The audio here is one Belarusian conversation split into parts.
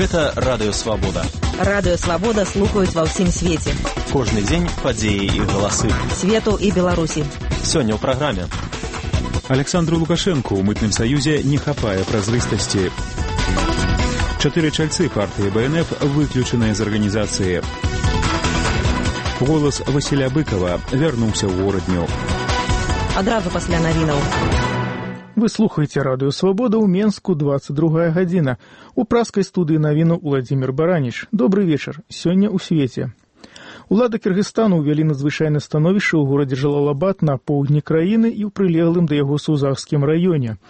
Гэта Радыё Свабода. Радыё Свабода слухаюць ва ўсім свеце. Кожны дзень падзеі і галасы. Свету і Беларусі. Сёння ў праграме. Александру Лукашенку ў мытным саюзе не хапае празрыстасці. 4 чальцы партыі БНФ выключаныя з арганізацыі. Голас Васіля Быкова вярнуўся ў горадню. Адразу пасля навінаў. Вы слухаеце Радыё Свабода ў Менску, 22 гадзіна. У праскай студыі навіну Владзімир Бараніч. Добрый вечар. Сёння ў свеце. Улады Кыргызстану ўвялі надзвычайнае становішча ў горадзе Жалалабад на поўдні краіны і ў прылеглым да яго Сузахскім раёне.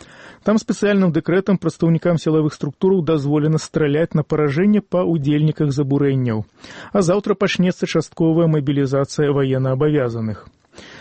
Там спецыяльным дэкрэтам прадстаўнікам сілавых структураў дазволена страляць на паражэнне па ўдзельніках забурэнняў. А заўтра пачнецца частковая мабілізацыя ваеннаабавязаных.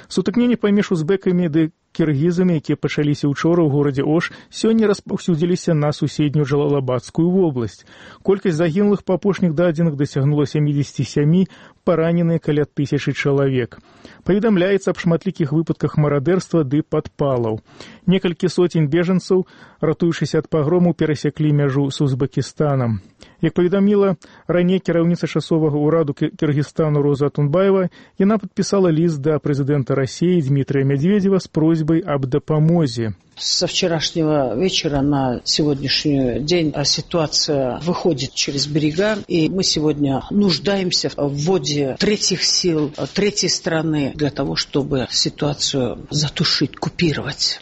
Сутыкненні паміж узбекамі ды кіргізамі, якія пачаліся ўчора ў горадзе Ош, сёння распаўсюдзіліся на суседнюю Жалалабадскую вобласць. Колькасць загінулых па апошніх дадзеных дасягнула 77, параненыя каля 1000 чалавек. Паведамляецца аб шматлікіх выпадках марадэрства ды падпалаў. Некалькі соцень бежанцаў, ратуючыся ад пагрому, перасеклі мяжу з Узбекістанам. Як паведаміла раней кіраўніца часовага ўраду Кыргызстану Роза Атунбаева, яна падпісала ліст да прэзідэнта России Дмитрия Медведева с просьбой об допомозе. Со вчерашнего вечера на сегодняшний день ситуация выходит через берега, и мы сегодня нуждаемся в вводе третьих сил, третьей страны для того, чтобы ситуацию затушить, купировать.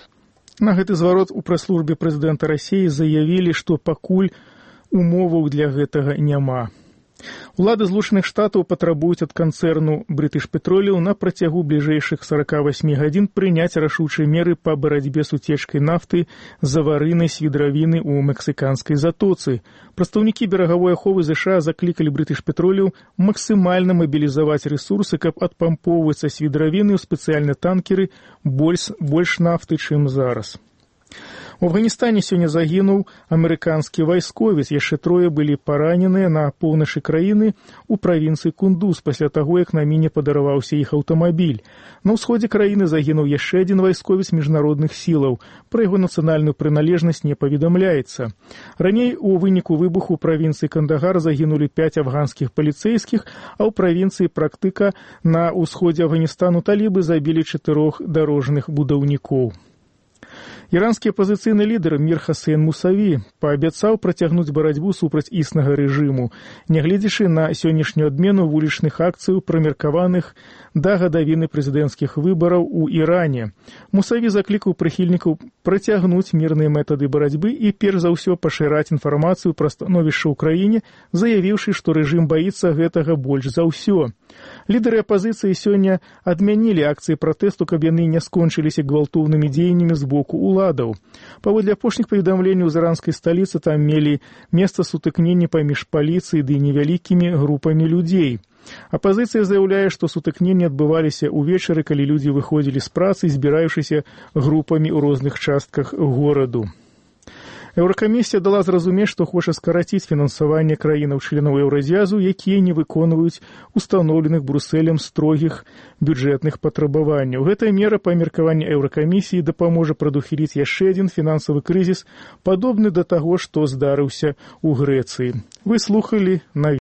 На гэты зварот у прэс-службе прэзідэнта России заявілі, што пакуль умоваў для гэтага няма. Улады Злучаных Штатаў патрабуюць ад канцэрну British Petroleum на працягу бліжэйшых 48 гадзін прыняць рашучыя меры па барацьбе з уцечкай нафты з аварыйнай свідравіны ў мексіканскай затоцы. Прадстаўнікі берагавой аховы США заклікалі British Petroleum максімальна мабілізаваць рэсурсы, каб адпампоўваць са свідравіны ў спецыяльныя танкеры больш нафты, чым зараз. У Афганістане сёння загінуў амерыканскі вайсковец, яшчэ 3 былі параненыя на поўначы краіны ў правінцыі Кундуз пасля таго, як на міне падарваўся іх аўтамабіль. На ўсходзе краіны загінуў яшчэ адзін вайсковец міжнародных сілаў. Пра яго нацыянальную прыналежнасць не паведамляецца. Раней у выніку выбуху ў правінцыі Кандагар загінулі 5 афганскіх паліцэйскіх, а ў правінцыі Практыка на ўсходзе Афганістану талібы забілі 4 дарожных будаўнікоў. Іранскі апазіцыйны лідар Мір Хасейн Мусаві паабяцаў працягнуць барацьбу супраць існага рэжыму, нягледзячы на сённяшнюю адмену вулічных акцыяў, прымеркаваных да гадавіны прэзідэнцкіх выбараў у Іране. Мусаві заклікаў прыхільнікаў працягнуць мірныя метады барацьбы і перш за ўсё пашыраць інфармацыю пра становішча ў краіне, заявіўшы, што рэжым баіцца гэтага больш за ўсё. Лідары апазіцыі сёння адмянілі акцыі пратэсту, каб яны не скончыліся гвалтоўнымі дзеяннямі з боку уладаў. Паводле апошніх паведамленняў з іранскай сталіцы там мелі месца сутыкненні паміж паліцыяй ды невялікімі групамі людзей. Апазіцыя заяўляе, што сутыкненні адбываліся ўвечары, калі людзі выходзілі з працы, збіраюшыся групамі ў розных частках гораду. Еўракамісія дала зразумець, што хоча скараціць фінансаванне краінаў-членаў Еўразіязу, якія не выконваюць устаноўленых Брусэлем строгіх бюджэтных патрабаванняў. Гэтая мера, па меркаванні Еўракамісіі, дапаможа прадухіліць яшчэ адзін фінансавы крызіс, падобны да таго, што здарыўся ў Грэцыі. Вы слухалі навіны.